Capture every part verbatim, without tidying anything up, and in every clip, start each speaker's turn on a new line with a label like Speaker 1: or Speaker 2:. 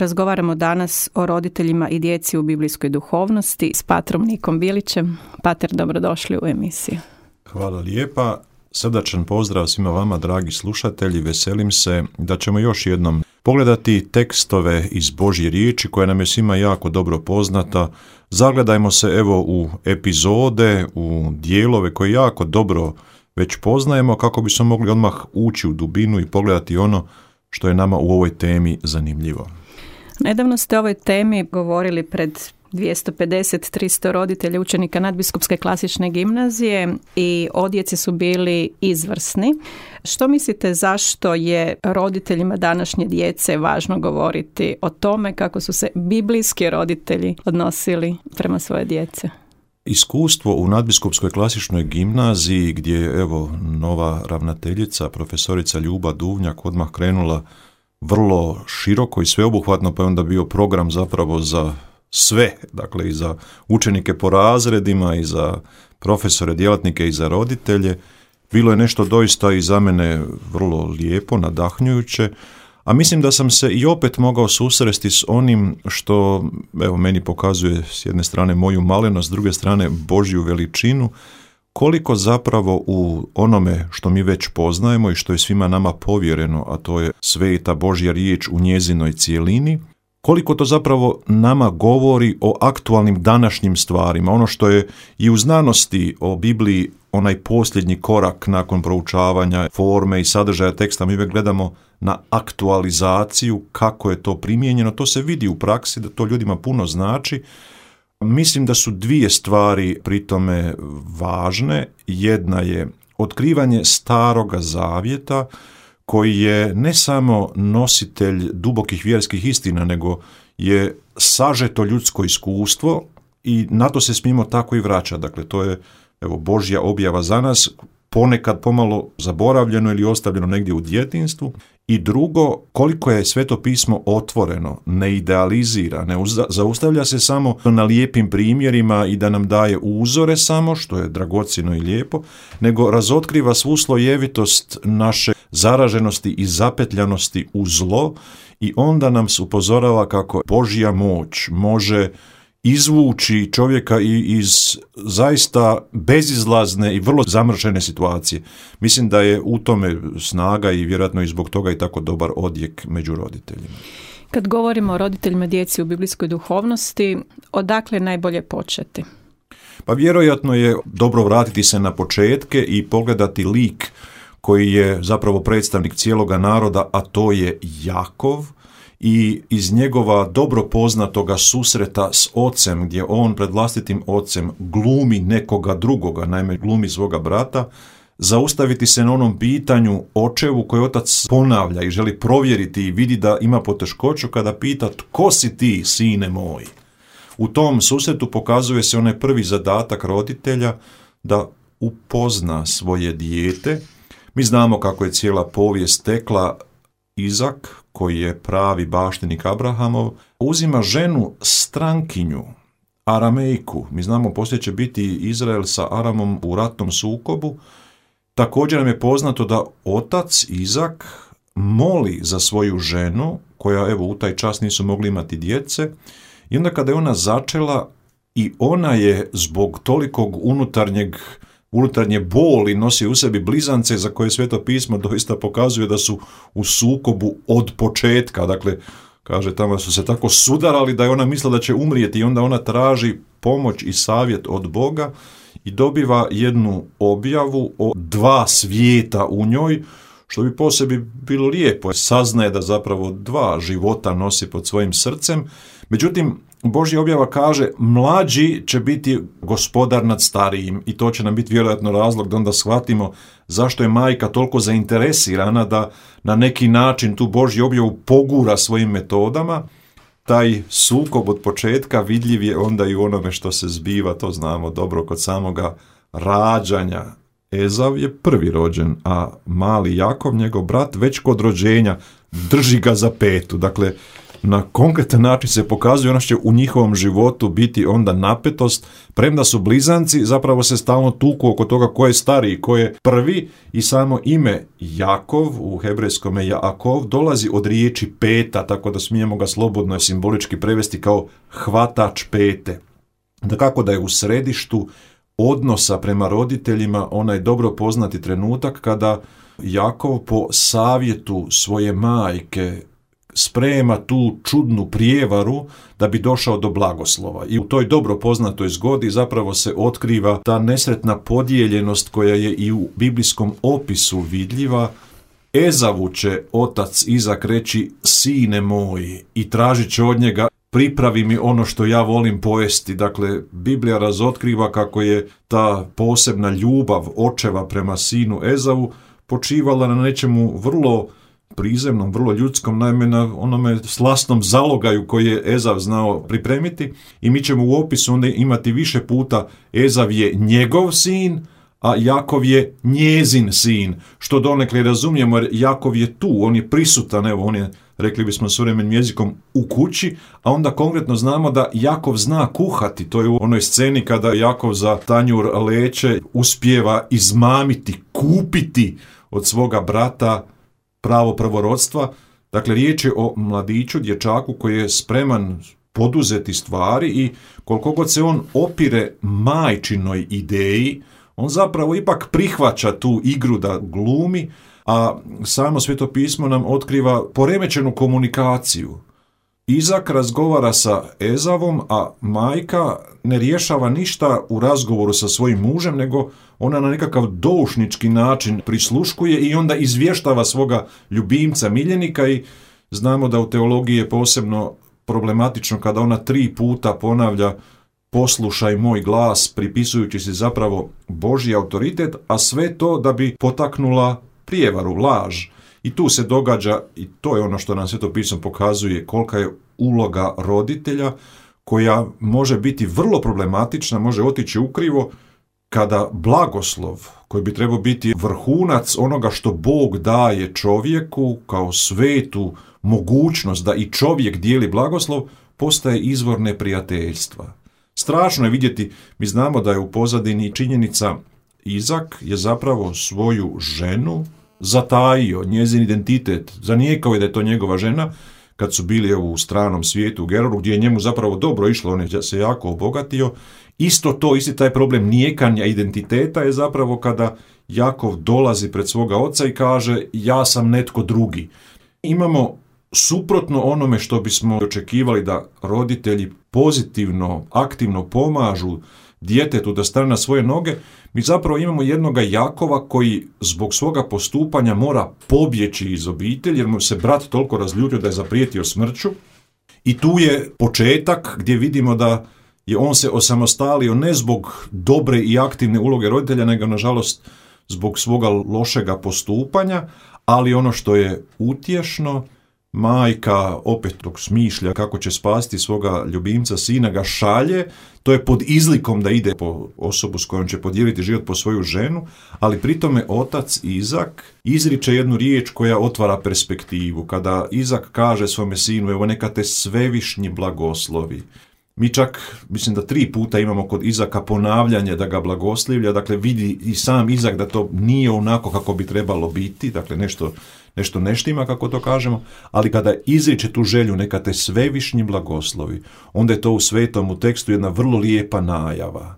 Speaker 1: Razgovaramo danas o roditeljima i djeci u biblijskoj duhovnosti s patrom Nikom Bilićem. Pater, dobrodošli u emisiju.
Speaker 2: Hvala lijepa. Srdačan pozdrav svima vama, dragi slušatelji. Veselim se da ćemo još jednom pogledati tekstove iz Božje riječi koja nam je svima jako dobro poznata. Zagledajmo se evo u epizode, u dijelove koje jako dobro već poznajemo kako bismo mogli odmah ući u dubinu i pogledati ono što je nama u ovoj temi zanimljivo.
Speaker 1: Nedavno ste o ovoj temi govorili pred dvjesto pedeset do tristo roditelja učenika Nadbiskupske klasične gimnazije i odjeci su bili izvrsni. Što mislite zašto je roditeljima današnje djece važno govoriti o tome kako su se biblijski roditelji odnosili prema svoje djece?
Speaker 2: Iskustvo u Nadbiskupskoj klasičnoj gimnaziji gdje je evo nova ravnateljica, profesorica Ljuba Duvnjak odmah krenula vrlo široko i sveobuhvatno, pa je onda bio program zapravo za sve, dakle i za učenike po razredima i za profesore, djelatnike i za roditelje. Bilo je nešto doista i za mene vrlo lijepo, nadahnjujuće, a mislim da sam se i opet mogao susresti s onim što evo meni pokazuje s jedne strane moju malenost, s druge strane Božju veličinu, koliko zapravo u onome što mi već poznajemo i što je svima nama povjereno, a to je sveta Božja riječ u njezinoj cijelini, koliko to zapravo nama govori o aktualnim današnjim stvarima. Ono što je i u znanosti o Bibliji onaj posljednji korak nakon proučavanja forme i sadržaja teksta, mi uvijek gledamo na aktualizaciju, kako je to primijenjeno, to se vidi u praksi da to ljudima puno znači. Mislim da su dvije stvari pri tome važne. Jedna je otkrivanje Staroga zavjeta, koji je ne samo nositelj dubokih vjerskih istina, nego je sažeto ljudsko iskustvo i na to se smijemo tako i vraćati. Dakle, to je evo Božja objava za nas, ponekad pomalo zaboravljeno ili ostavljeno negdje u djetinjstvu. I drugo, koliko je Sveto pismo otvoreno, ne idealizira, ne zaustavlja se samo na lijepim primjerima i da nam daje uzore samo, što je dragocjeno i lijepo, nego razotkriva svu slojevitost naše zaraženosti i zapetljanosti u zlo i onda nam se upozorava kako Božja moć može izvući čovjeka iz zaista bezizlazne i vrlo zamršene situacije. Mislim da je u tome snaga i vjerojatno i zbog toga i tako dobar odjek među roditeljima.
Speaker 1: Kad govorimo o roditeljima djeci u biblijskoj duhovnosti, odakle najbolje početi?
Speaker 2: Pa vjerojatno je dobro vratiti se na početke i pogledati lik koji je zapravo predstavnik cijeloga naroda, a to je Jakov, i iz njegova dobro poznatoga susreta s ocem, gdje on pred vlastitim ocem glumi nekoga drugoga, naime glumi svoga brata, zaustaviti se na onom pitanju očevu koji otac ponavlja i želi provjeriti i vidi da ima poteškoću kada pita tko si ti, sine moj. U tom susretu pokazuje se onaj prvi zadatak roditelja da upozna svoje dijete. Mi znamo kako je cijela povijest tekla. Izak, koji je pravi baštenik Abrahamov, uzima ženu strankinju, Aramejku. Mi znamo poslije će biti Izrael sa Aramom u ratnom sukobu. Također nam je poznato da otac Izak moli za svoju ženu, koja evo u taj čas nisu mogli imati djece, i onda kada je ona začela i ona je zbog tolikog unutarnjeg unutarnje boli nosi u sebi blizance za koje Sveto pismo doista pokazuje da su u sukobu od početka. Dakle, kaže tamo su se tako sudarali da je ona mislila da će umrijeti i onda ona traži pomoć i savjet od Boga i dobiva jednu objavu o dva svijeta u njoj, što bi po sebi bilo lijepo. Saznaje da zapravo dva života nosi pod svojim srcem. Međutim, Božja objava kaže mlađi će biti gospodar nad starijim i to će nam biti vjerojatno razlog da onda shvatimo zašto je majka toliko zainteresirana da na neki način tu Božju objavu pogura svojim metodama. Taj sukob od početka vidljiv je onda i u onome što se zbiva, to znamo dobro kod samoga rađanja. Ezav je prvi rođen, a mali Jakov, njegov brat, već kod rođenja drži ga za petu. Dakle, na konkretan način se pokazuje, ono će u njihovom životu biti onda napetost, premda su blizanci, zapravo se stalno tuku oko toga ko je stariji, ko je prvi, i samo ime Jakov, u hebrejskome Jaakov, dolazi od riječi peta, tako da smijemo ga slobodno i simbolički prevesti kao hvatač pete. Da kako da je u središtu odnosa prema roditeljima onaj dobro poznati trenutak kada Jakov po savjetu svoje majke sprema tu čudnu prijevaru da bi došao do blagoslova. I u toj dobro poznatoj zgodi zapravo se otkriva ta nesretna podijeljenost koja je i u biblijskom opisu vidljiva. Ezavu će otac Izak reći: sine moj, i tražit će od njega: pripravi mi ono što ja volim pojesti. Dakle, Biblija razotkriva kako je ta posebna ljubav očeva prema sinu Ezavu počivala na nečemu vrlo prizemnom, vrlo ljudskom, naime na onome slasnom zalogaju koji je Ezav znao pripremiti, i mi ćemo u opisu onda imati više puta Ezav je njegov sin, a Jakov je njezin sin, što donekle razumijemo jer Jakov je tu, on je prisutan, evo on je, rekli bismo suvremenim jezikom, u kući, a onda konkretno znamo da Jakov zna kuhati. To je u onoj sceni kada Jakov za tanjur leće uspijeva izmamiti, kupiti od svoga brata pravo prvorodstva. Dakle, riječ je o mladiću, dječaku koji je spreman poduzeti stvari i koliko god se on opire majčinoj ideji, on zapravo ipak prihvaća tu igru da glumi, a samo Sveto pismo nam otkriva poremećenu komunikaciju. Izak razgovara sa Ezavom, a majka ne rješava ništa u razgovoru sa svojim mužem, nego ona na nekakav doušnički način prisluškuje i onda izvještava svoga ljubimca, miljenika, i znamo da u teologiji je posebno problematično kada ona tri puta ponavlja: poslušaj moj glas, pripisujući si zapravo Božji autoritet, a sve to da bi potaknula prijevaru, laž. I tu se događa, i to je ono što nam Sveto pismo pokazuje, kolika je uloga roditelja, koja može biti vrlo problematična, može otići ukrivo, kada blagoslov, koji bi trebao biti vrhunac onoga što Bog daje čovjeku kao svetu mogućnost da i čovjek dijeli blagoslov, postaje izvor neprijateljstva. Strašno je vidjeti, mi znamo da je u pozadini činjenica: Izak je zapravo svoju ženu zatajio, njezin identitet, zanijekao je da je to njegova žena, kad su bili u stranom svijetu u Geroru, gdje je njemu zapravo dobro išlo, on je se jako obogatio. Isto to, isti taj problem nijekanja identiteta je zapravo kada Jakov dolazi pred svoga oca i kaže: ja sam netko drugi. Imamo suprotno onome što bismo očekivali da roditelji pozitivno, aktivno pomažu djetetu da stane na svoje noge, mi zapravo imamo jednoga Jakova koji zbog svoga postupanja mora pobjeći iz obitelji jer mu se brat toliko razljutio da je zaprijetio smrću. I tu je početak gdje vidimo da je on se osamostalio ne zbog dobre i aktivne uloge roditelja, nego nažalost zbog svoga lošega postupanja, ali ono što je utješno, majka opet dok smišlja kako će spasti svoga ljubimca sina, ga šalje, to je pod izlikom da ide po osobu s kojom će podijeliti život, po svoju ženu, ali pritome otac Izak izriče jednu riječ koja otvara perspektivu. Kada Izak kaže svome sinu: evo neka te svevišnji blagoslovi. Mi čak, mislim da tri puta imamo kod Izaka ponavljanje da ga blagoslivlja, dakle vidi i sam Izak da to nije onako kako bi trebalo biti, dakle nešto, nešto ne štima, kako to kažemo, ali kada izriče tu želju neka te svevišnji blagoslovi, onda je to u svetom u tekstu jedna vrlo lijepa najava.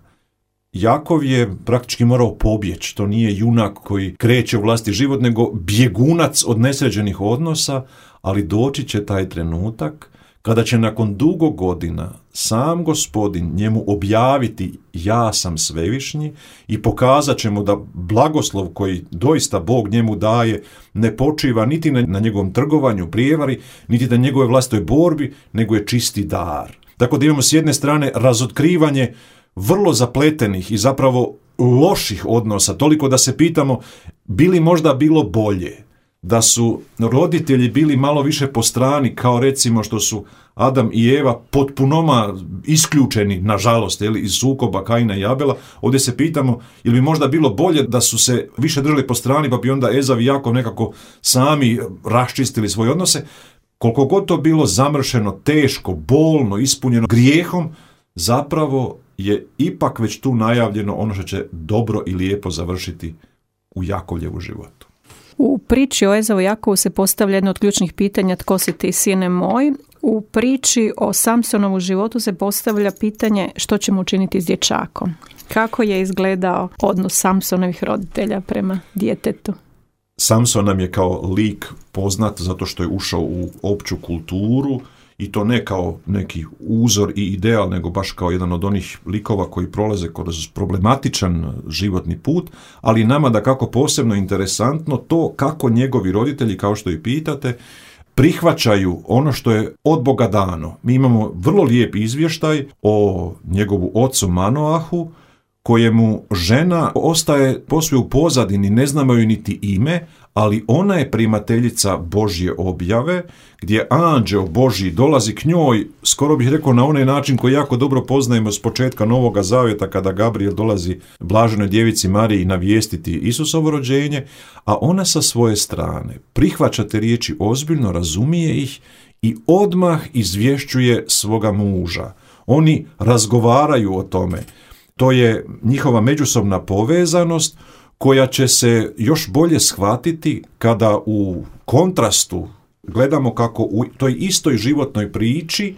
Speaker 2: Jakov je praktički morao pobjeći, to nije junak koji kreće u vlasti život, nego bjegunac od nesređenih odnosa, ali doći će taj trenutak kada će nakon dugo godina sam Gospodin njemu objaviti: ja sam svevišnji, i pokazat će mu da blagoslov koji doista Bog njemu daje ne počiva niti na, na njegovom trgovanju, prijevari, niti na njegove vlastitoj borbi, nego je čisti dar. Tako da imamo s jedne strane razotkrivanje vrlo zapletenih i zapravo loših odnosa, toliko da se pitamo bi li možda bilo bolje da su roditelji bili malo više po strani, kao recimo što su Adam i Eva potpunoma isključeni, nažalost, jeli, iz sukoba Kaina i Abela. Ovdje se pitamo, je li bi možda bilo bolje da su se više držali po strani, pa bi onda Ezav i Jakov nekako sami raščistili svoje odnose. koliko god to bilo zamršeno, teško, bolno, ispunjeno grijehom, zapravo je ipak već tu najavljeno ono što će dobro i lijepo završiti u Jakovljevu životu.
Speaker 1: U priči o Ezavu i Jakovu se postavlja jedno od ključnih pitanja: tko si ti, sine moj? U priči o Samsonovu životu se postavlja pitanje što ćemo učiniti s dječakom. Kako je izgledao odnos Samsonovih roditelja prema djetetu?
Speaker 2: Samson nam je kao lik poznat zato što je ušao u opću kulturu, i to ne kao neki uzor i ideal, nego baš kao jedan od onih likova koji prolaze kroz problematičan životni put, ali nama da kako posebno interesantno to kako njegovi roditelji, kao što i pitate, prihvaćaju ono što je od Boga dano. Mi imamo vrlo lijep izvještaj o njegovu ocu Manoahu, kojemu žena ostaje posve u pozadini, ne znamo joj niti ime, ali ona je primateljica Božje objave, gdje anđeo Božji dolazi k njoj, skoro bih rekao na onaj način koji jako dobro poznajemo s početka Novoga Zavjeta, kada Gabriel dolazi blaženoj djevici Mariji navijestiti Isusovo rođenje, a ona sa svoje strane prihvaća te riječi ozbiljno, razumije ih i odmah izvješćuje svoga muža. Oni razgovaraju o tome. To je njihova međusobna povezanost koja će se još bolje shvatiti kada u kontrastu gledamo kako u toj istoj životnoj priči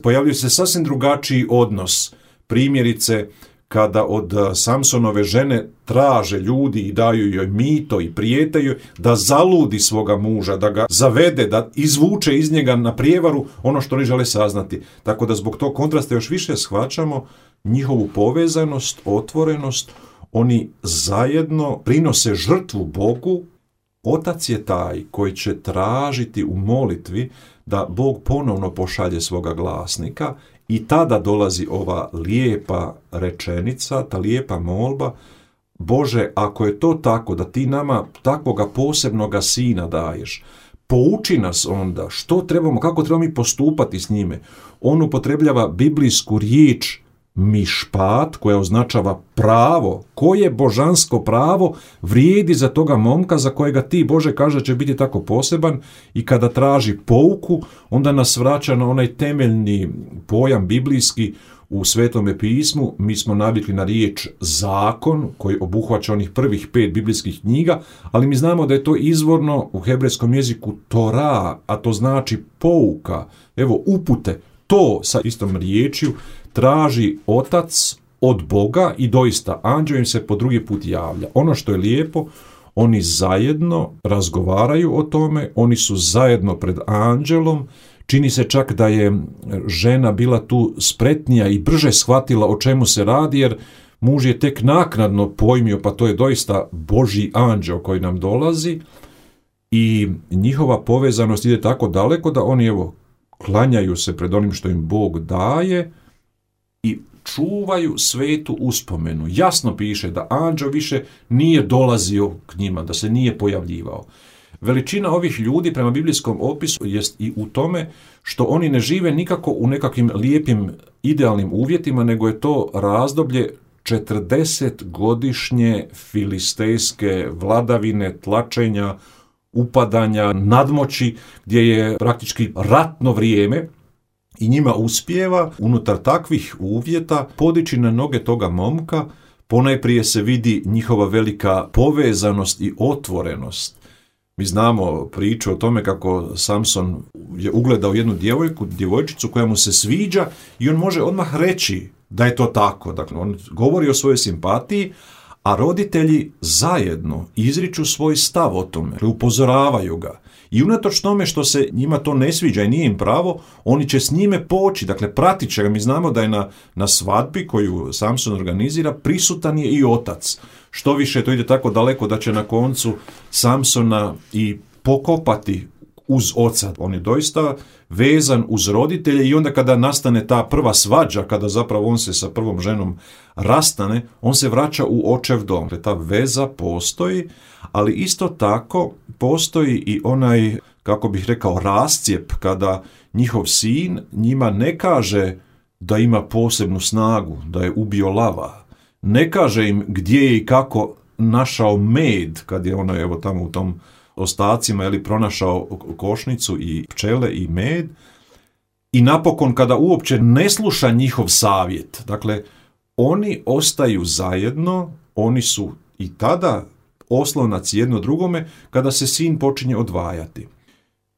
Speaker 2: pojavljuje se sasvim drugačiji odnos. Primjerice, kada od Samsonove žene traže ljudi i daju joj mito i prijetaju da zaludi svoga muža, da ga zavede, da izvuče iz njega na prijevaru ono što oni žele saznati. Tako da zbog tog kontrasta još više shvaćamo njihovu povezanost, otvorenost. Oni zajedno prinose žrtvu Bogu. Otac je taj koji će tražiti u molitvi da Bog ponovno pošalje svoga glasnika i tada dolazi ova lijepa rečenica, ta lijepa molba: Bože, ako je to tako da ti nama takvoga posebnoga sina daješ, pouči nas onda što trebamo, kako trebamo mi postupati s njime. On upotrebljava biblijsku riječ mišpat, koja označava pravo. Koje božansko pravo vrijedi za toga momka za kojega ti, Bože, kaže će biti tako poseban, i kada traži pouku, onda nas vraća na onaj temeljni pojam biblijski u Svetome pismu. Mi smo navikli na riječ zakon, koji obuhvaća onih prvih pet biblijskih knjiga, ali mi znamo da je to izvorno u hebrejskom jeziku Tora, a to znači pouka, evo upute. To sa istom riječju traži otac od Boga i doista anđeo im se po drugi put javlja. Ono što je lijepo, oni zajedno razgovaraju o tome, oni su zajedno pred anđelom. Čini se čak da je žena bila tu spretnija i brže shvatila o čemu se radi, jer muž je tek naknadno pojmio, pa to je doista Božji anđeo koji nam dolazi, i njihova povezanost ide tako daleko da oni evo klanjaju se pred onim što im Bog daje i čuvaju svetu uspomenu. Jasno piše da anđeo više nije dolazio k njima, da se nije pojavljivao. Veličina ovih ljudi prema biblijskom opisu jest i u tome što oni ne žive nikako u nekakvim lijepim idealnim uvjetima, nego je to razdoblje četrdesetgodišnje filistejske vladavine, tlačenja, upadanja, nadmoći, gdje je praktički ratno vrijeme, i njima uspijeva unutar takvih uvjeta podići na noge toga momka. Ponajprije se vidi njihova velika povezanost i otvorenost. Mi znamo priču o tome kako Samson je ugledao jednu djevojku, djevojčicu koja mu se sviđa, i on može odmah reći da je to tako. Dakle, on govori o svojoj simpatiji, a roditelji zajedno izriču svoj stav o tome, upozoravaju ga. I unatoč tome što se njima to ne sviđa i nije im pravo, oni će s njime poći, dakle pratit će ga. Mi znamo da je na, na svadbi koju Samson organizira prisutan je i otac. Što više, to ide tako daleko da će na koncu Samsona i pokopati uz oca. On je doista vezan uz roditelje, i onda kada nastane ta prva svađa, kada zapravo on se sa prvom ženom rastane, on se vraća u očev dom. Dakle, ta veza postoji, ali isto tako postoji i onaj, kako bih rekao, rascijep, kada njihov sin njima ne kaže da ima posebnu snagu, da je ubio lava. Ne kaže im gdje je i kako našao med, kad je ono evo tamo u tom ostacima, ili pronašao košnicu i pčele i med. I napokon, kada uopće ne sluša njihov savjet, dakle, oni ostaju zajedno, oni su i tada oslonac jedno drugome kada se sin počinje odvajati.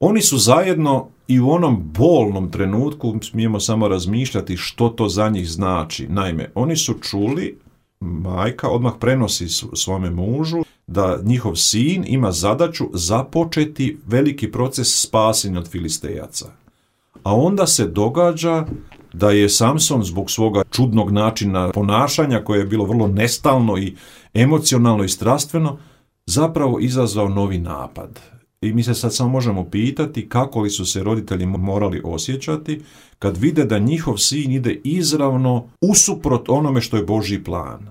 Speaker 2: Oni su zajedno i u onom bolnom trenutku, smijemo samo razmišljati što to za njih znači. Naime, oni su čuli, majka odmah prenosi svome mužu da njihov sin ima zadaću započeti veliki proces spasenja od Filistejaca. A onda se događa da je Samson zbog svoga čudnog načina ponašanja, koje je bilo vrlo nestalno i emocionalno i strastveno, zapravo izazvao novi napad. I mi se sad samo možemo pitati kako li su se roditelji morali osjećati kad vide da njihov sin ide izravno usuprot onome što je Božji plan.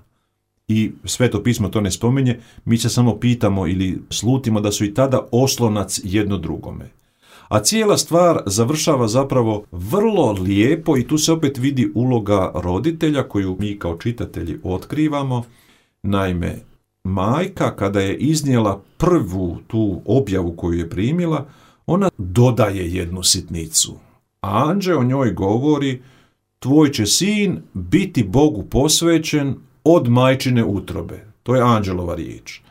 Speaker 2: I Sveto pismo to ne spominje, mi se samo pitamo ili slutimo da su i tada oslonac jedno drugome. A cijela stvar završava zapravo vrlo lijepo i tu se opet vidi uloga roditelja koju mi kao čitatelji otkrivamo. Naime, majka kada je iznijela prvu tu objavu koju je primila, ona dodaje jednu sitnicu. Anđeo o njoj govori: tvoj će sin biti Bogu posvećen od majčine utrobe. To je anđelova riječ.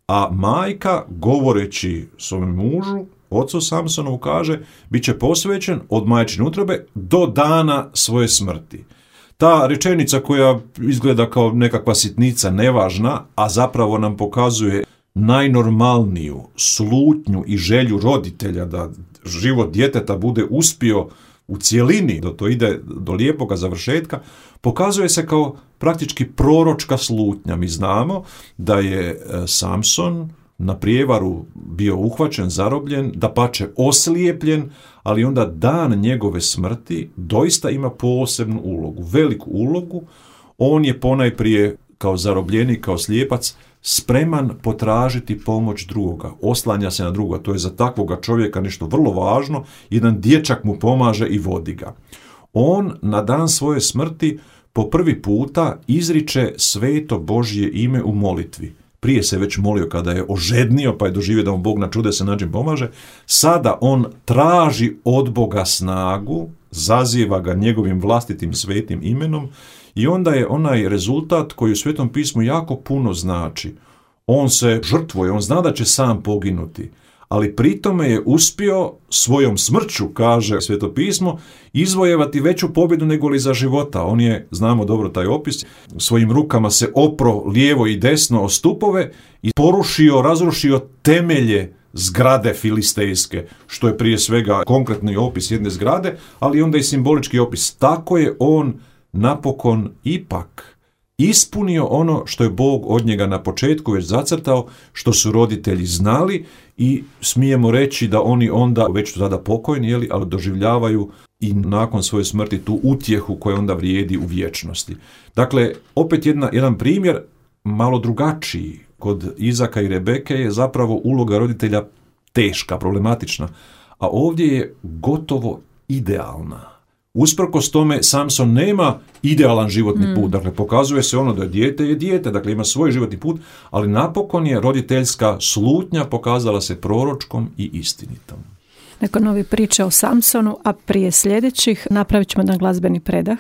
Speaker 2: A majka, govoreći svom mužu, ocu Samsonovu, kaže: bit će posvećen od majčine utrobe do dana svoje smrti. Ta rečenica koja izgleda kao nekakva sitnica, nevažna, a zapravo nam pokazuje najnormalniju slutnju i želju roditelja da život djeteta bude uspio u cjelini, da to ide do lijepoga završetka, pokazuje se kao praktički proročka slutnja. Mi znamo da je Samson na prijevaru bio uhvaćen, zarobljen, dapače oslijepljen, ali onda dan njegove smrti doista ima posebnu ulogu, veliku ulogu. On je ponajprije kao zarobljenik, kao slijepac, spreman potražiti pomoć drugoga, oslanja se na drugoga. To je za takvoga čovjeka nešto vrlo važno. Jedan dječak mu pomaže i vodi ga. On na dan svoje smrti po prvi puta izriče sveto Božje ime u molitvi. Prije se već molio kada je ožednio, pa je doživio da mu Bog na čudesan način pomaže. Sada on traži od Boga snagu, zaziva ga njegovim vlastitim svetim imenom i onda je onaj rezultat koji u Svetom pismu jako puno znači. On se žrtvuje, on zna da će sam poginuti, ali pritome je uspio svojom smrću, kaže Sveto pismo, izvojevati veću pobjedu nego li za života. On je, znamo dobro taj opis, svojim rukama se opro lijevo i desno o stupove i porušio, razrušio temelje zgrade filistejske, što je prije svega konkretni opis jedne zgrade, ali onda i simbolički opis. Tako je on napokon ipak ispunio ono što je Bog od njega na početku već zacrtao, što su roditelji znali, i smijemo reći da oni onda, već su tada pokojni, jeli, ali doživljavaju i nakon svoje smrti tu utjehu koja onda vrijedi u vječnosti. Dakle, opet jedna, jedan primjer, malo drugačiji. Kod Izaka i Rebeke je zapravo uloga roditelja teška, problematična, a ovdje je gotovo idealna. Usprkos tome, Samson nema idealan životni put, dakle pokazuje se ono da je dijete je dijete, dakle ima svoj životni put, ali napokon je roditeljska slutnja pokazala se proročkom i istinitom.
Speaker 1: Neko novi priče o Samsonu, a prije sljedećih napravit ćemo jedan glazbeni predah.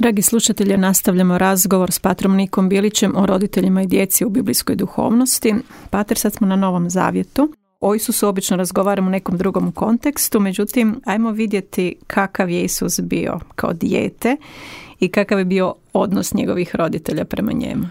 Speaker 1: Dragi slušatelji, nastavljamo razgovor s patrom Nikom Bilićem o roditeljima i djeci u biblijskoj duhovnosti. Pater, sad smo na Novom Zavjetu. O Isusu obično razgovaramo u nekom drugom kontekstu, međutim, ajmo vidjeti kakav je Isus bio kao dijete i kakav je bio odnos njegovih roditelja prema njemu.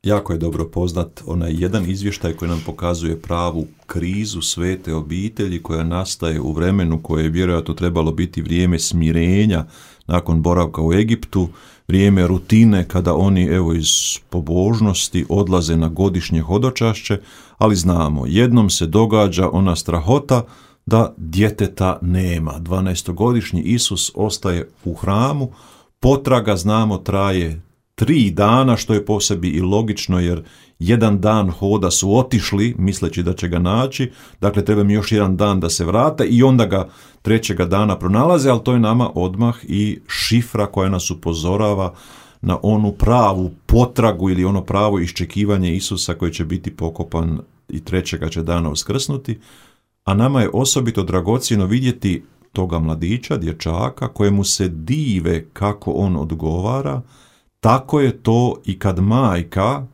Speaker 2: Jako je dobro poznat onaj jedan izvještaj koji nam pokazuje pravu krizu svete obitelji koja nastaje u vremenu koje je vjerojatno trebalo biti vrijeme smirenja nakon boravka u Egiptu, vrijeme rutine kada oni evo iz pobožnosti odlaze na godišnje hodočašće, ali znamo, jednom se događa ona strahota da djeteta nema. dvanaestogodišnji Isus ostaje u hramu, potraga, znamo, traje tri dana, što je po sebi i logično, jer jedan dan hoda su otišli misleći da će ga naći, dakle treba mi još jedan dan da se vrate i onda ga trećega dana pronalaze, ali to je nama odmah i šifra koja nas upozorava na onu pravu potragu ili ono pravo iščekivanje Isusa koji će biti pokopan i trećega će dana uskrsnuti, a nama je osobito dragocjeno vidjeti toga mladića, dječaka, kojemu se dive kako on odgovara. Tako je to i kad majka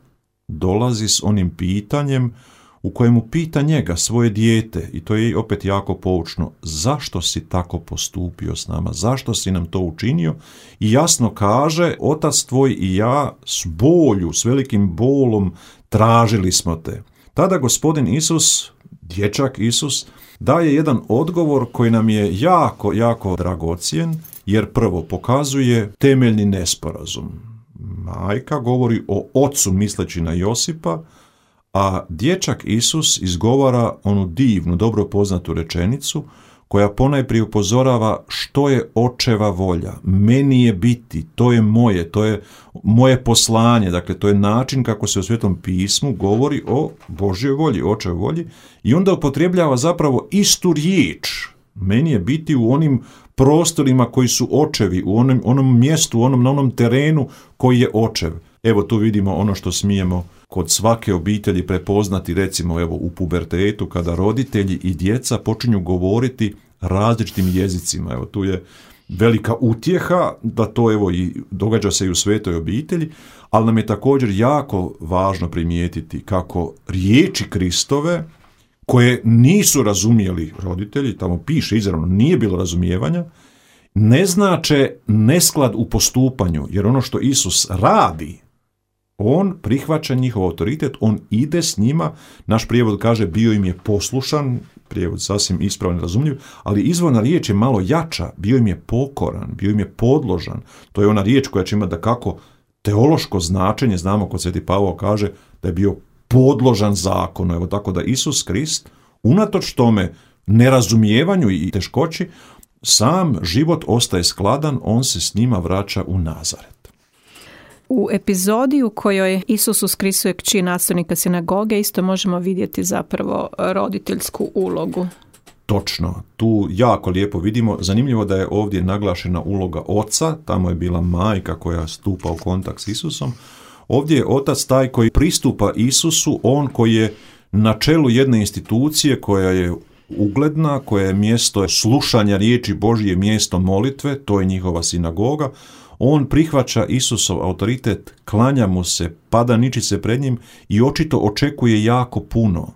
Speaker 2: dolazi s onim pitanjem u kojemu pita njega, svoje dijete, i to je opet jako poučno, zašto si tako postupio s nama, zašto si nam to učinio, i jasno kaže, otac tvoj i ja s bolju, s velikim bolom tražili smo te. Tada gospodin Isus, dječak Isus, daje jedan odgovor koji nam je jako, jako dragocjen, jer prvo pokazuje temeljni nesporazum. Majka govori o ocu misleći na Josipa, a dječak Isus izgovara onu divnu, dobro poznatu rečenicu koja ponajprije upozorava što je očeva volja. Meni je biti, to je moje, to je moje poslanje, dakle to je način kako se u Svetom pismu govori o Božjoj volji, očevoj volji, i onda upotrebljava zapravo istu riječ. Meni je biti u onim prostorima koji su očevi, u onom, onom mjestu, u onom, na onom terenu koji je očev. Evo tu vidimo ono što smijemo kod svake obitelji prepoznati, recimo evo u pubertetu, kada roditelji i djeca počinju govoriti različitim jezicima. Evo tu je velika utjeha da to evo i događa se i u svetoj obitelji, ali nam je također jako važno primijetiti kako riječi Kristove, koje nisu razumjeli roditelji, tamo piše izravno, nije bilo razumijevanja, ne znače nesklad u postupanju, jer ono što Isus radi, on prihvaća njihov autoritet, on ide s njima, naš prijevod kaže bio im je poslušan, prijevod sasvim ispravan i razumljiv, ali izvorna riječ je malo jača, bio im je pokoran, bio im je podložan, to je ona riječ koja će imati da kako teološko značenje, znamo kod Sveti Pavao kaže da je bio podložan zakonu, evo tako da Isus Krist, unatoč tome nerazumijevanju i teškoći, sam život ostaje skladan, on se s njima vraća u Nazaret.
Speaker 1: U epizodi u kojoj Isus uskrisuje kći nastavnika sinagoge isto možemo vidjeti zapravo roditeljsku ulogu.
Speaker 2: Točno, tu jako lijepo vidimo, zanimljivo da je ovdje naglašena uloga oca, tamo je bila majka koja stupa u kontakt s Isusom. Ovdje je otac taj koji pristupa Isusu, on koji je na čelu jedne institucije koja je ugledna, koja je mjesto slušanja riječi Božje, mjesto molitve, to je njihova sinagoga. On prihvaća Isusov autoritet, klanja mu se, pada ničice pred njim i očito očekuje jako puno.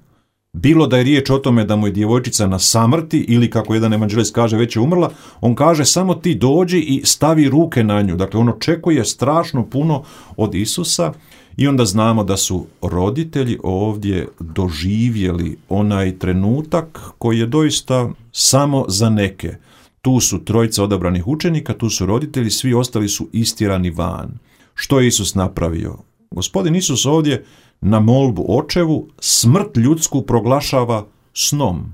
Speaker 2: Bilo da je riječ o tome da mu je djevojčica na samrti ili kako jedan evanđelist kaže već je umrla, on kaže samo ti dođi i stavi ruke na nju. Dakle, on očekuje strašno puno od Isusa i onda znamo da su roditelji ovdje doživjeli onaj trenutak koji je doista samo za neke. Tu su trojica odabranih učenika, tu su roditelji, svi ostali su istjerani van. Što je Isus napravio? Gospodin Isus ovdje na molbu očevu smrt ljudsku proglašava snom.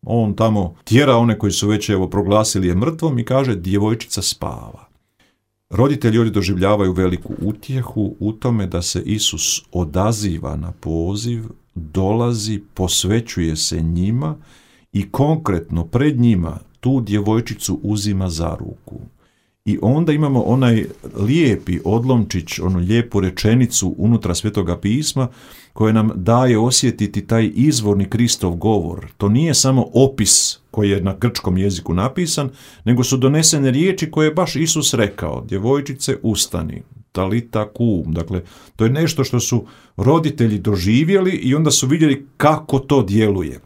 Speaker 2: On tamo tjera one koji su već evo proglasili je mrtvom i kaže djevojčica spava. Roditelji ovdje doživljavaju veliku utjehu u tome da se Isus odaziva na poziv, dolazi, posvećuje se njima i konkretno pred njima tu djevojčicu uzima za ruku. I onda imamo onaj lijepi odlomčić, onu lijepu rečenicu unutra Svetoga pisma koja nam daje osjetiti taj izvorni Kristov govor. To nije samo opis koji je na grčkom jeziku napisan, nego su donesene riječi koje je baš Isus rekao. Djevojčice, ustani, talita kum. Dakle, to je nešto što su roditelji doživjeli i onda su vidjeli kako to djeluje.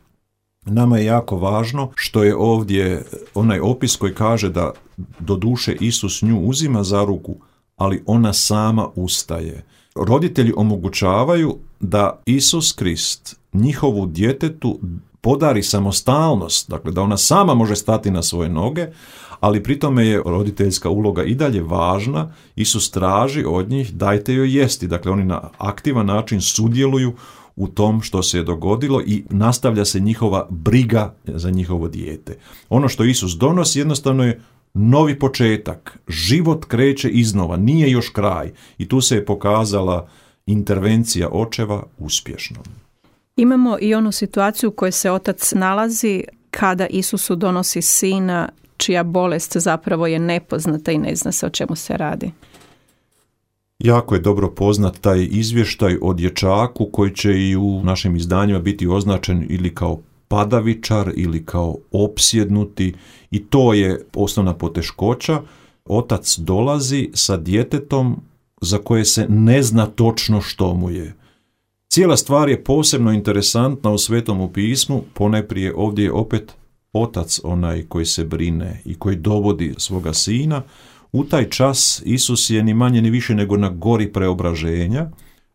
Speaker 2: Nama je jako važno što je ovdje onaj opis koji kaže da do duše Isus nju uzima za ruku, ali ona sama ustaje. Roditelji omogućavaju da Isus Krist njihovu djetetu podari samostalnost, dakle da ona sama može stati na svoje noge, ali pri tome je roditeljska uloga i dalje važna. Isus traži od njih dajte joj jesti, dakle oni na aktivan način sudjeluju u tom što se je dogodilo i nastavlja se njihova briga za njihovo dijete. Ono što Isus donosi jednostavno je novi početak. Život kreće iznova, nije još kraj. I tu se je pokazala intervencija očeva uspješnom.
Speaker 1: Imamo i onu situaciju u kojoj se otac nalazi kada Isusu donosi sina čija bolest zapravo je nepoznata i ne zna se o čemu se radi.
Speaker 2: Jako je dobro poznat taj izvještaj o dječaku koji će i u našim izdanjima biti označen ili kao padavičar ili kao opsjednuti i to je osnovna poteškoća. Otac dolazi sa djetetom za koje se ne zna točno što mu je. Cijela stvar je posebno interesantna u Svetom pismu, ponajprije ovdje je opet otac onaj koji se brine i koji dovodi svoga sina. U taj čas Isus je ni manje ni više nego na gori preobraženja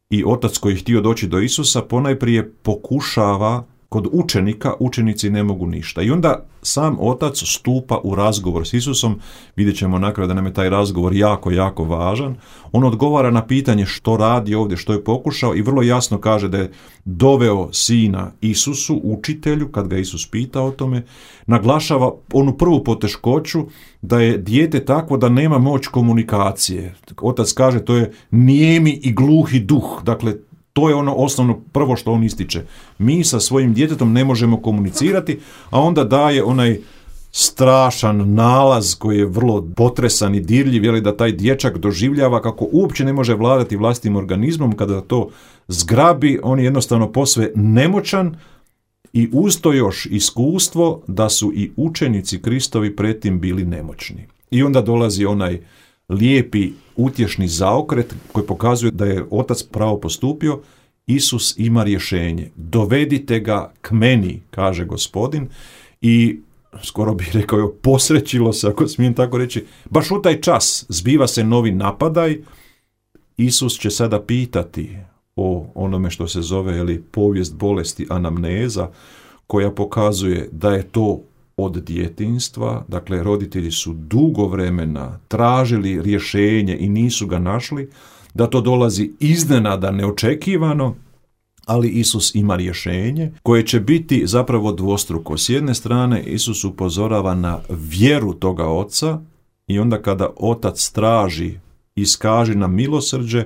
Speaker 2: i otac koji je htio doći do Isusa ponajprije pokušava kod učenika, učenici ne mogu ništa. I onda sam otac stupa u razgovor s Isusom, vidjet ćemo na kraju da nam je taj razgovor jako, jako važan. On odgovara na pitanje što radi ovdje, što je pokušao i vrlo jasno kaže da je doveo sina Isusu, učitelju, kad ga Isus pita o tome, naglašava onu prvu poteškoću da je dijete takvo da nema moć komunikacije. Otac kaže to je nijemi i gluhi duh, dakle to je ono osnovno prvo što on ističe. Mi sa svojim djetetom ne možemo komunicirati, a onda daje onaj strašan nalaz koji je vrlo potresan i dirljiv, je li da taj dječak doživljava kako uopće ne može vladati vlastnim organizmom, kada to zgrabi, on je jednostavno posve nemoćan i uz to još iskustvo da su i učenici Kristovi pretim bili nemoćni. I onda dolazi onaj lijepi utješni zaokret koji pokazuje da je otac pravo postupio. Isus ima rješenje. Dovedite ga k meni, kaže Gospodin, i skoro bih rekao, posrećilo se, ako smijem tako reći, baš u taj čas zbiva se novi napadaj. Isus će sada pitati o onome što se zove ili povijest bolesti anamneza, koja pokazuje da je to od djetinjstva, dakle roditelji su dugo vremena tražili rješenje i nisu ga našli, da to dolazi iznenada, neočekivano, ali Isus ima rješenje koje će biti zapravo dvostruko. S jedne strane Isus upozorava na vjeru toga oca i onda kada otac traži, iskaži nam milosrđe,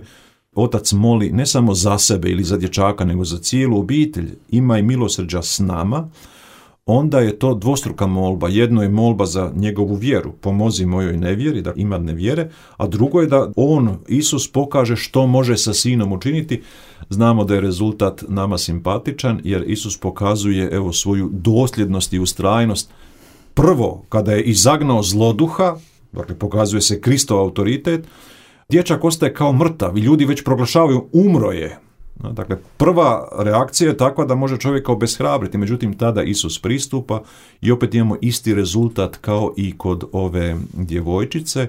Speaker 2: otac moli ne samo za sebe ili za dječaka, nego za cijelu obitelj, imaj milosrđa s nama. Onda je to dvostruka molba. Jedno je molba za njegovu vjeru, pomozi mojoj nevjeri, da ima nevjere, a drugo je da on, Isus, pokaže što može sa sinom učiniti. Znamo da je rezultat nama simpatičan, jer Isus pokazuje evo svoju dosljednost i ustrajnost. Prvo, kada je izagnao zloduha, dakle pokazuje se Kristov autoritet, dječak ostaje kao mrtav i ljudi već proglašavaju umro je. Dakle, prva reakcija je takva da može čovjeka obeshrabriti, međutim tada Isus pristupa i opet imamo isti rezultat kao i kod ove djevojčice.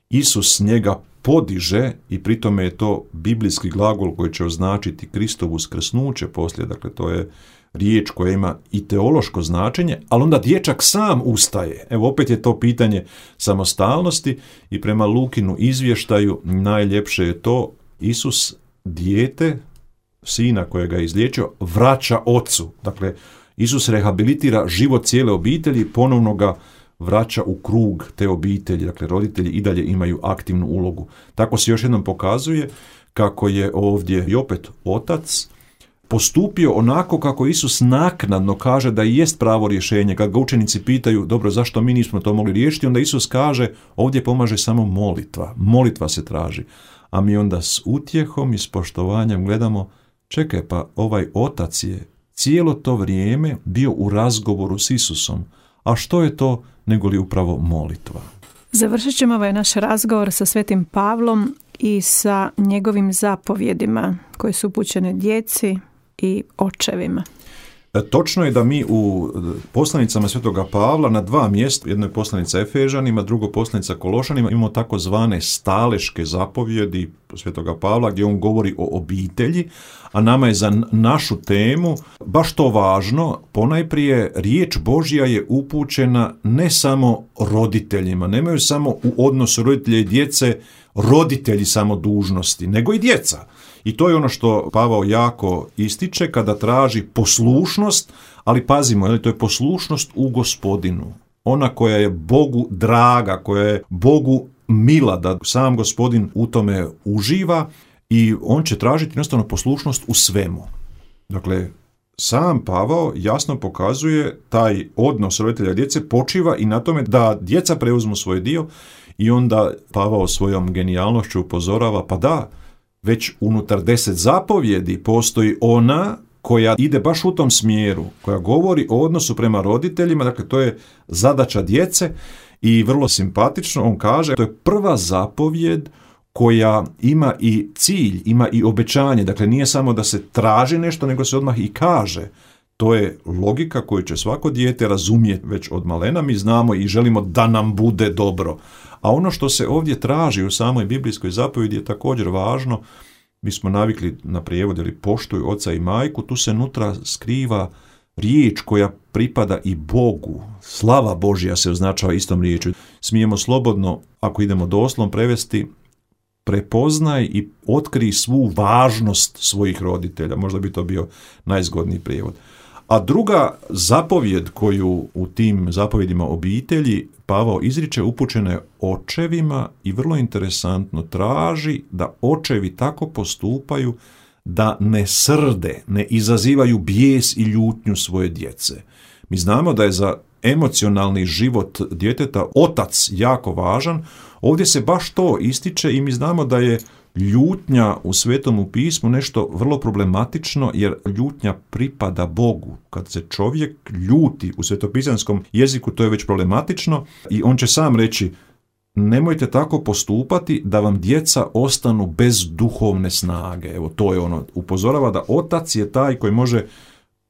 Speaker 2: Isus njega podiže i pri tome je to biblijski glagol koji će označiti Kristovu uskrsnuće poslije, dakle to je riječ koja ima i teološko značenje, ali onda dječak sam ustaje. Evo opet je to pitanje samostalnosti i prema Lukinu izvještaju najljepše je to, Isus dijete, sina kojega je izliječio, vraća ocu. Dakle, Isus rehabilitira život cijele obitelji, ponovno ga vraća u krug te obitelji. Dakle, roditelji i dalje imaju aktivnu ulogu. Tako se još jednom pokazuje kako je ovdje i opet otac postupio onako kako Isus naknadno kaže da jest pravo rješenje. Kad ga učenici pitaju, dobro, zašto mi nismo to mogli riješiti, onda Isus kaže, ovdje pomaže samo molitva. Molitva se traži. A mi onda s utjehom i s poštovanjem gledamo, čekaj, pa ovaj otac je cijelo to vrijeme bio u razgovoru s Isusom. A što je to nego li upravo molitva?
Speaker 1: Završit ćemo ovaj naš razgovor sa Svetim Pavlom i sa njegovim zapovjedima koje su upućene djeci i očevima.
Speaker 2: E, točno je da mi u poslanicama Svetoga Pavla na dva mjesta, jedno je poslanica Efežanima, drugo poslanica Kološanima, imamo takozvane staleške zapovjedi Svetoga Pavla gdje on govori o obitelji, a nama je za našu temu baš to važno. Ponajprije riječ Božja je upućena ne samo roditeljima, nemaju samo u odnosu roditelja i djece roditelji samo dužnosti, nego i djeca. I to je ono što Pavao jako ističe kada traži poslušnost, ali pazimo, je li, to je poslušnost u Gospodinu. Ona koja je Bogu draga, koja je Bogu mila, da sam Gospodin u tome uživa i on će tražiti jednostavno poslušnost u svemu. Dakle, sam Pavao jasno pokazuje taj odnos roditelja i djece počiva i na tome da djeca preuzmu svoj dio i onda Pavao svojom genijalnošću upozorava, pa da, već unutar deset zapovjedi postoji ona koja ide baš u tom smjeru, koja govori o odnosu prema roditeljima, dakle to je zadaća djece i vrlo simpatično on kaže, to je prva zapovjed koja ima i cilj, ima i obećanje, dakle nije samo da se traži nešto, nego se odmah i kaže. To je logika koju će svako dijete razumjeti već od malena, mi znamo i želimo da nam bude dobro. A ono što se ovdje traži u samoj biblijskoj zapovjedi je također važno. Mi smo navikli na prijevod ili poštuj oca i majku, tu se nutra skriva riječ koja pripada i Bogu. Slava Božja se označava istom riječju. Smijemo slobodno, ako idemo doslovno prevesti, prepoznaj i otkri svu važnost svojih roditelja. Možda bi to bio najzgodniji prijevod. A druga zapovjed koju u tim zapovjedima obitelji Pavao izriče upućena je očevima i vrlo interesantno traži da očevi tako postupaju da ne srde, ne izazivaju bijes i ljutnju svoje djece. Mi znamo da je za emocionalni život djeteta otac jako važan. Ovdje se baš to ističe i mi znamo da je ljutnja u Svetom pismu nešto vrlo problematično jer ljutnja pripada Bogu. Kad se čovjek ljuti u svetopisanskom jeziku to je već problematično i on će sam reći nemojte tako postupati da vam djeca ostanu bez duhovne snage. Evo to je ono, upozorava da otac je taj koji može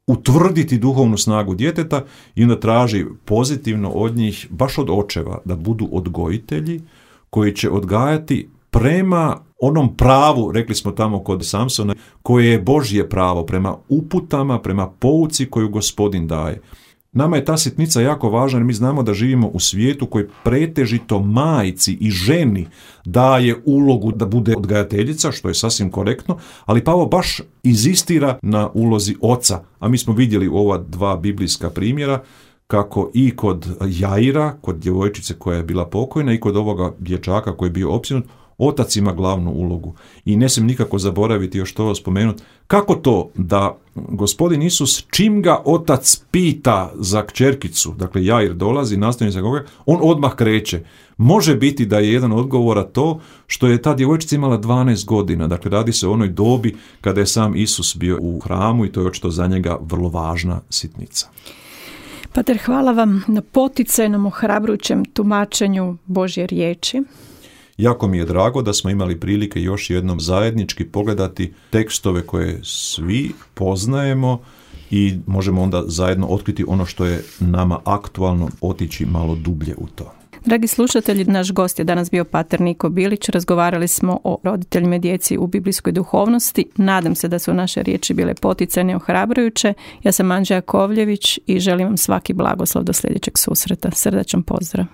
Speaker 2: utvrditi duhovnu snagu djeteta i onda traži pozitivno od njih, baš od očeva, da budu odgojitelji koji će odgajati prema onom pravu, rekli smo tamo kod Samsona, koje je Božje pravo, prema uputama, prema pouci koju Gospodin daje. Nama je ta sitnica jako važna jer mi znamo da živimo u svijetu koji pretežito majci i ženi daje ulogu da bude odgajateljica, što je sasvim korektno, ali Pavao baš inzistira na ulozi oca, a mi smo vidjeli u ova dva biblijska primjera kako i kod Jaira, kod djevojčice koja je bila pokojna i kod ovoga dječaka koji je bio opsjednut, otac ima glavnu ulogu. I ne smijem nikako zaboraviti još to spomenuti. Kako to da Gospodin Isus, čim ga otac pita za kćerkicu, dakle Jair dolazi, nastavlja za koga, on odmah kreće. Može biti da je jedan od odgovora to što je ta djevojčica imala dvanaest godina, dakle radi se o onoj dobi kada je sam Isus bio u hramu i to je očito za njega vrlo važna sitnica.
Speaker 1: Pater, hvala vam na poticajnom, ohrabrujućem tumačenju Božje riječi.
Speaker 2: Jako mi je drago da smo imali prilike još jednom zajednički pogledati tekstove koje svi poznajemo i možemo onda zajedno otkriti ono što je nama aktualno, otići malo dublje u to.
Speaker 1: Dragi slušatelji, naš gost je danas bio pater Niko Bilić. Razgovarali smo o roditeljima i djeci u biblijskoj duhovnosti. Nadam se da su naše riječi bile poticajne i ohrabrujuće. Ja sam Anđela Kovljević i želim vam svaki blagoslov do sljedećeg susreta. Srdačan pozdrav.